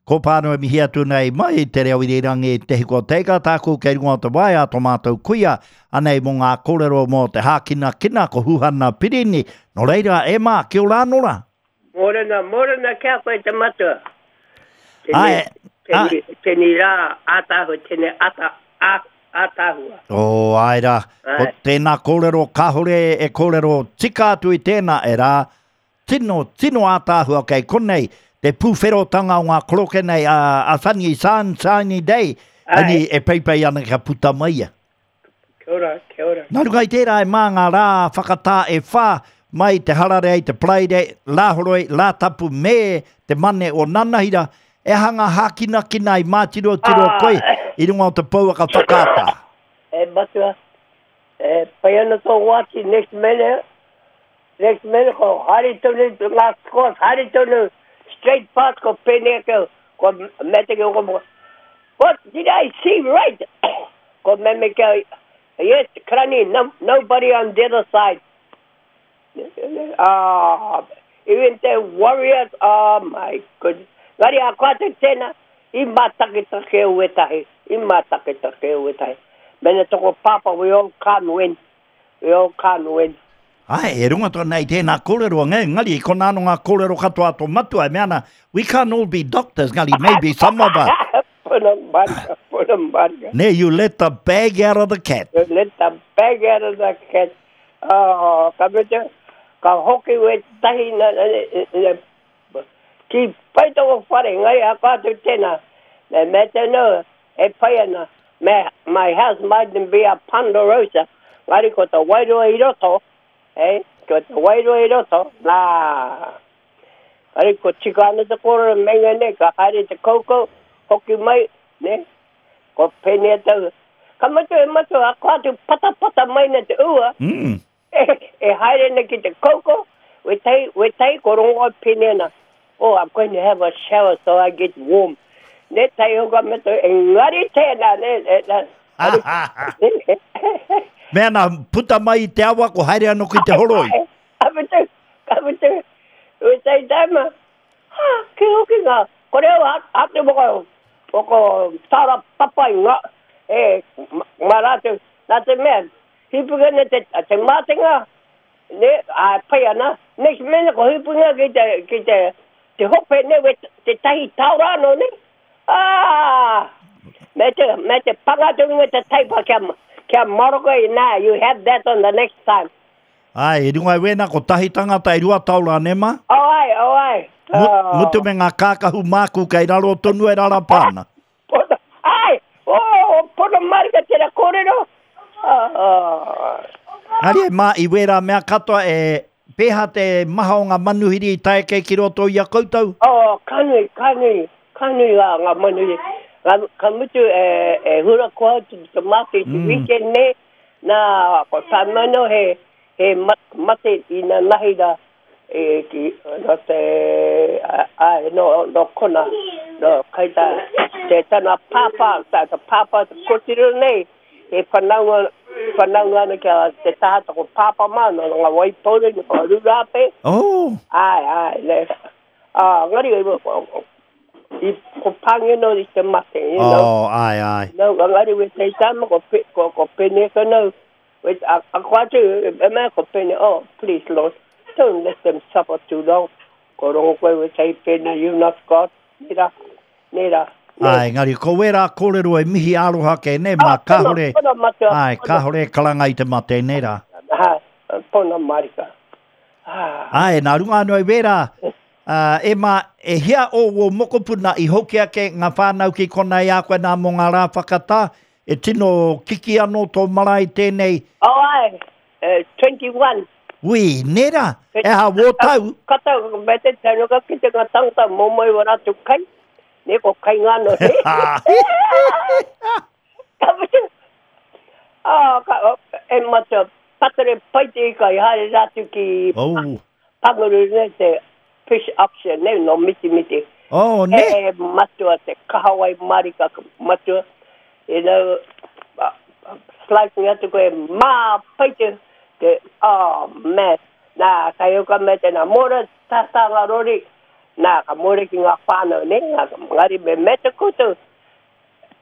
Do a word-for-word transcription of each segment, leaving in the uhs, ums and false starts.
Ko pāno e mihi atu nei mai te reo irirangi Te Hiko Teika tāku kei runga o te waea tō mātou kuia anei mō ngā kōrero mō te hākinakina ko Huhana Pirini. Nō reira, e mā, kia ora anō rā. Mōrena, mōrena kia koe te matua. Tēnei, tēnei, tēnei rā ātaahua, tēnei ata, ā, ātaahua. Oh, ai rā. Ko tēnā kōrero, kāhore e kōrero tika atu i tēnā e rā. Tino, tino ātaahua kei konei. Te pūwherotanga o ngā koroke nei a, a Sunny Sunshiny Day, ani e peipei ana kia puta mai ia. Kia ora, kia ora. Nā runga i tērā e mā ngā rā whakatā e whā mai te hararei, te Paraire, Rāhoroi, Rātapu me te mane o Nanahira, e aha ngā hākinakina i mātirotiro ah. koe i runga o te pouaka whakaata. E matua, e pai ana tō wāti next minute, next minute ko haere tonu, ngā scores haere tonu, straight pass ko pene ke ko mete ke ko what did I see right ko meme ke yes krani no, nobody on the other side ah uh, even the Warriors oh my goodness ngari a koa te tēnā i mātaketake au etahi i mātaketake au etahi mena toko papa we all can't win we all can't win. Ai, e runga tōna i tēnā kōrero, ngari, kona anō ngā kōrero katoa tō matua, e mea ana, we can't all be doctors, ngari, maybe some of us. Puna marika, puna marika. Ne, you let the bag out of the cat. You let the bag out of the cat. Oh, ka mutu, ka hoki we tahi na, na, na, ki pai tō whare, ngai a kātou tēnā. Me me te no, e pai ana, me, my house mightn't be a ponderosa, ngari ko te wairua i roto, eh, ko te wairua i roto, nā. Ari ko tika ana te kōrero menga ne, ka haere te koukou, hoki mai, ne, ko pēnei tau. Ka mutu e matua, a ko atu patapata mai na te ua, mm. e, e haere na ki te koukou, we tai, we tai ko rongo pēnei ana. Oh, I'm going to have a shower so I get warm. Ne tai hoka mutu, engari tēnā, ne, ne, ne. Mea nā, puta mai i te awa, ko haere anō ki te horoi. Ka mutu, ka mutu, ue tai taima, ha, ki hoki ngā, ko reo a te waka, waka tāra papai ngā, e, mā rātou, nā te mea, hipuka ne te, te mātenga, ne, a pai ana, next minute ko hipunga ki te, ki te, te hope ne, we, te tahi taura anō ne, ah, me te, me te pangatu me te taipa kia, kia maroka i nā, you have that on the next time. Ai, e runga i wēnā, ko tahi tangata e rua taura, ne ma? Oh ai, oh ai. Oh. Mutu me ngā kākahu māku kei raro tonu e rarapa ana. Pono, ai, oh, pono marika tera kōrero. Oh. Ari e mā, i wērā mea katoa e pēhā te maha o ngā manuhiri i tae kei ki roto i a koutou? Oh, ka nui, ka nui, ka nui ngā, ngā manuhiri. Ka, ka mutu e, e hura koa te, te mate i te mm. weekend ne, nā, ko tāmano he, he mate i nā nahi rā, e, ki, no te, ai, no, no kona, no, kai tā, te tana pāpā, tā, te pāpā te kotiro nei, e whanaunga, whanaunga ana kia te taha ko pāpā mā, no ngā waipouri, no ngā rurape. Oh! Ai, ai, ne. Ah, ngari, i ko pāngi no i te mate, you know. Oh, ai, ai. No, ngari we te tama ko, ko, ko pene ka no. We, a, a ko atu, e mea ko pene, oh, please, Lord, don't let them suffer too long. Ko rongo koe we te pene, you not God. Nera, nera. Ai, ngari, ko wērā kōrero e mihi aroha ke ne, mā kāhore, ai, kāhore karanga i te mate, nera. Ha, pona marika. Ai, nā runga anō i wērā, Uh, e mā, e hia o wō mokopuna i hoki ake ngā whānau ki kona i a koe nā mō ngā rā whakatā, e tino kiki anō tō marae tēnei. Oh ai, uh, twenty-one. Ui, nera, e ha wō tau. Kata, me te tau, ka ki te ngā tangata mō mai wa rātou kai, ne ko kai ngāno, he. Ka mutu, ah, ka, e matua, patere pai te ika i haere rātou ki oh. Panguru ne te fish auction, ne, no miti miti. Oh, ne? E matua te kahawai marika matua, you know, slicing atu koe, mā pai te, te, oh, man, nā, kai uka me te nā, mora tata ngā rori, Nā, ka more ki ngā whānau, ne? Ngā, ngari me meta koutou,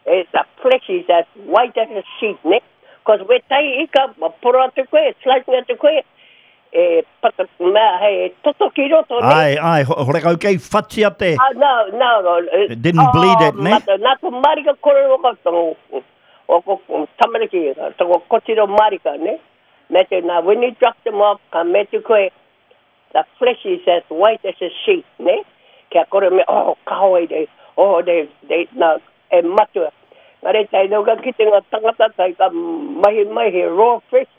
e the flesh is as white as a sheet, ne? Cause we tai ika, ma poro atu koe, slice atu koe, e pata, mea, hei, toto ki roto, ne? Ai, ai, horekau kei whatia te. Ah, no, no, no. It didn't bleed it, ne? Mata, nā ko marika kore o ko, o ko tamariki, toko kotiro marika, ne? Me te, nā, when you drop them off, ka me te koe, the flesh is as white as a sheet, ne? Kia kore me, oh, kahoe de, oh, de, de, nā, e matua. Ngā re tai nau ka kite ngā tangata, tai ka mahi mahi raw fish.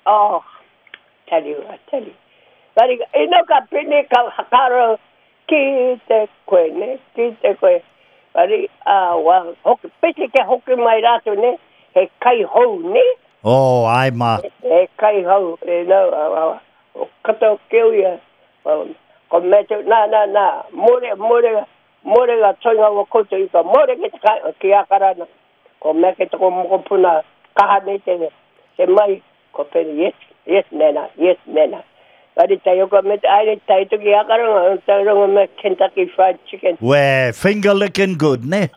Oh, tell you, I tell you. Ngari, e nau ka pene ka hakaro ki te koe, ne? Ki te koe. Ngari, ah, wa, hoki, pese ke hoki mai rātou, ne? He kai hou, ne? Oh, ai ma. He kai hou, e nau, a, o kato keu ia. Ko me te, nā, nā, nā, more, more, more ngā toinga o koutou i ka more ki te kai, ki Akarana. Ko me ke toko mokopuna kaha nei te, te mai, ko pene, yes, yes, nena, yes, nena. Ngari tai oka me te aere tai tuki Akarana, tai rongo me Kentucky Fried Chicken. We, finger licking good, ne?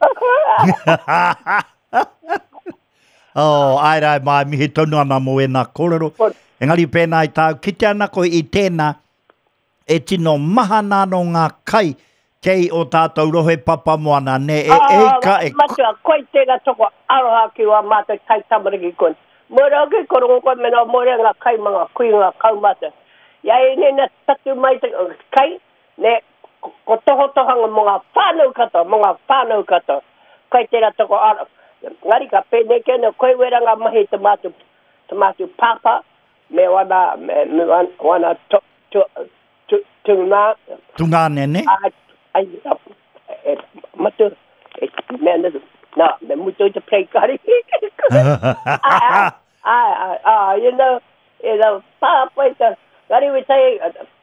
Oh, ai rai mai, mihi tonu ana mō e nā kōrero. Engari pēnā i tāu, kite ana koe i tēnā, e tino maha nā no ngā kai kei o tātou rohe papamoana, ne? E, e ka, e... Matua, koe tēnā toko aroha ki wā mātou tai tamariki kone. Mōre oke, korongo koe mena mōre ngā kai mga kui ngā kaumata. Ia e nena tatu mai te kai, ne, ko tohotohanga mō ngā whānau katoa, mō ngā whānau katoa. Koe tēnā toko aroha. Ngari ka pēnei kena, koe wera ngā mahi te mātou, te mātou pāpā, me wana, me, me wana, wana to, to, to, tungā. Tungāne, ne? Ai, ai, e, matu, e, mea nā, nā, me mutu i te play kari. Ai, ai, ai, you know, e know, pāpā i te, ngari we tai,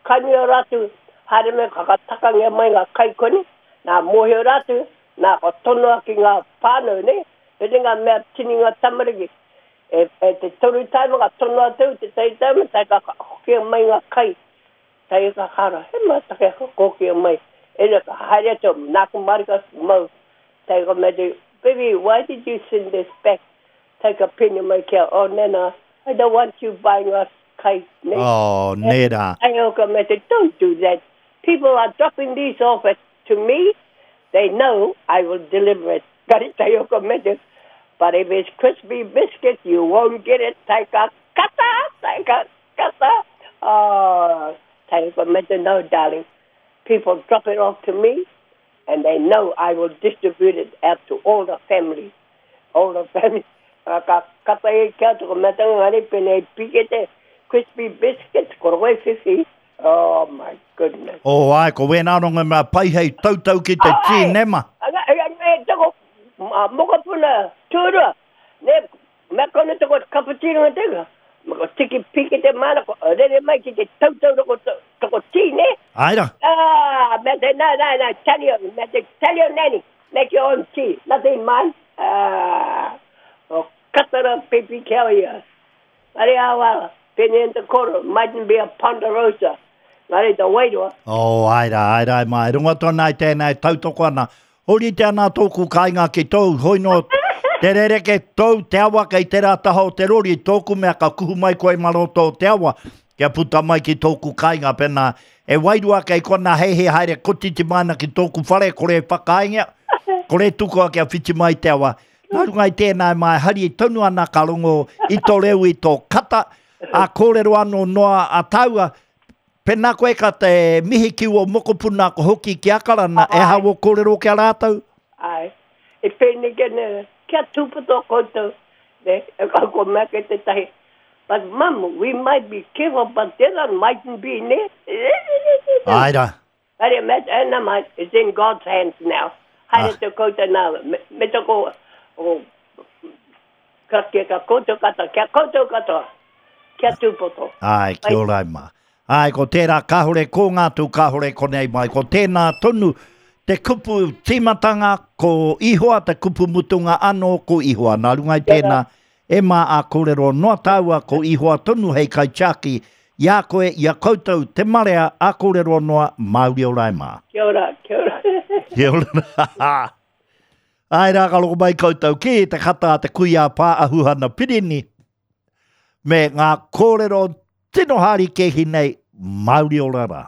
kaimio rātu, haere me kakatakangia mai ngā kai kone, nā mōhio rātu, nā ko tonoa ki ngā whānau, ne? Pene ngā mea tini ngā tamariki. E, e te toru taima ka tonoa tau, te tai taima, tai ka hokia mai ngā kai. Tai ka kara, he mātake ka kokia mai. E na ka haere atu, nāku marika mau. Tai ka mea te, baby, why did you send this back? Tai ka pene mai kia, oh nena, I don't want you buying us kai. Ne? Oh, nera. Tai ka mea te, don't do that. People are dropping these off at, to me. They know I will deliver it. Kari tai ka mea te, but if it's crispy biscuit, you won't get it. Taika kata, taika kata. Oh, taika mea te, no, darling. People drop it off to me, and they know I will distribute it out to all the family. All the family. Ka kata e kia toko mea tanga ngari pene pikete, crispy biscuits, korowai whiwhi. Oh, my goodness. Oh, ai, ko wēnā rongo mea pai hei tautau ki te tī nema. E toko, mokopuna, tūrua, ne, mea kone toko cappuccino nga teka. Mako tiki pikete mana, ko rere mai ki te tautau toko, toko tī, ne? Ai ra. Ah, mea te, nā, nā, nā, tell you, mea te, tell your nanny, make your own tea, nothing mine. Ah, o katara pipi kia ia. Are awa, pene in te koro, mightn't be a ponderosa. Ngare te wairua. Oh, ai rā, ai rā, mai. Runga tōna i tēnei tautoko ana. Hori te ana tōku kāinga ki tōu, hoi no te rereke tōu te awa kei te rā taha o te rori, tōku mea ka kuhu mai koe maroto o te awa, kia puta mai ki tōku kāinga pēnā. E wairua kei kona hei he haere kotiti mana ki tōku whare, kore e whakainga, kore tukua kia whiti mai te awa. Nā runga i tēnā mai hari tonu ana ka rongo i tō reo i tō kata, a kōrero anō noa a tāua, pēnā koe ka te mihi ki o mokopuna ko hoki ki Akarana, e hao kōrero kia rātou? Ai, e pēnei kene, kia tūpato koutou, ne, e ka ko mea ke te tahi. But mum, we might be careful, but there mightn't be, ne? Ai rā. Haere, me, e mai, it's in God's hands now. Haere te koutou nā, me, me toko, o, ka kia ka koutou katoa, kia koutou katoa, kia tūpato. Ai, kia ora mā. Ai, ko tērā kāhore ko ngā tū kāhore konei mai. Ko tēnā tonu te kupu tīmatanga ko Ihoa, te kupu mutunga anō ko Ihoa. Nā runga i tēnā, e mā a kōrero noa tāua ko Ihoa tonu hei kaitiaki I a koe, i a koutou te marea, a kōrero noa, Māori ora e mā. Kia ora, kia ora. Kia ora. Ai rā ka loko mai koutou ki te kata a te kuia pā ahuhana pirini me ngā kōrero tino hārikehi nei, Māori ora rā.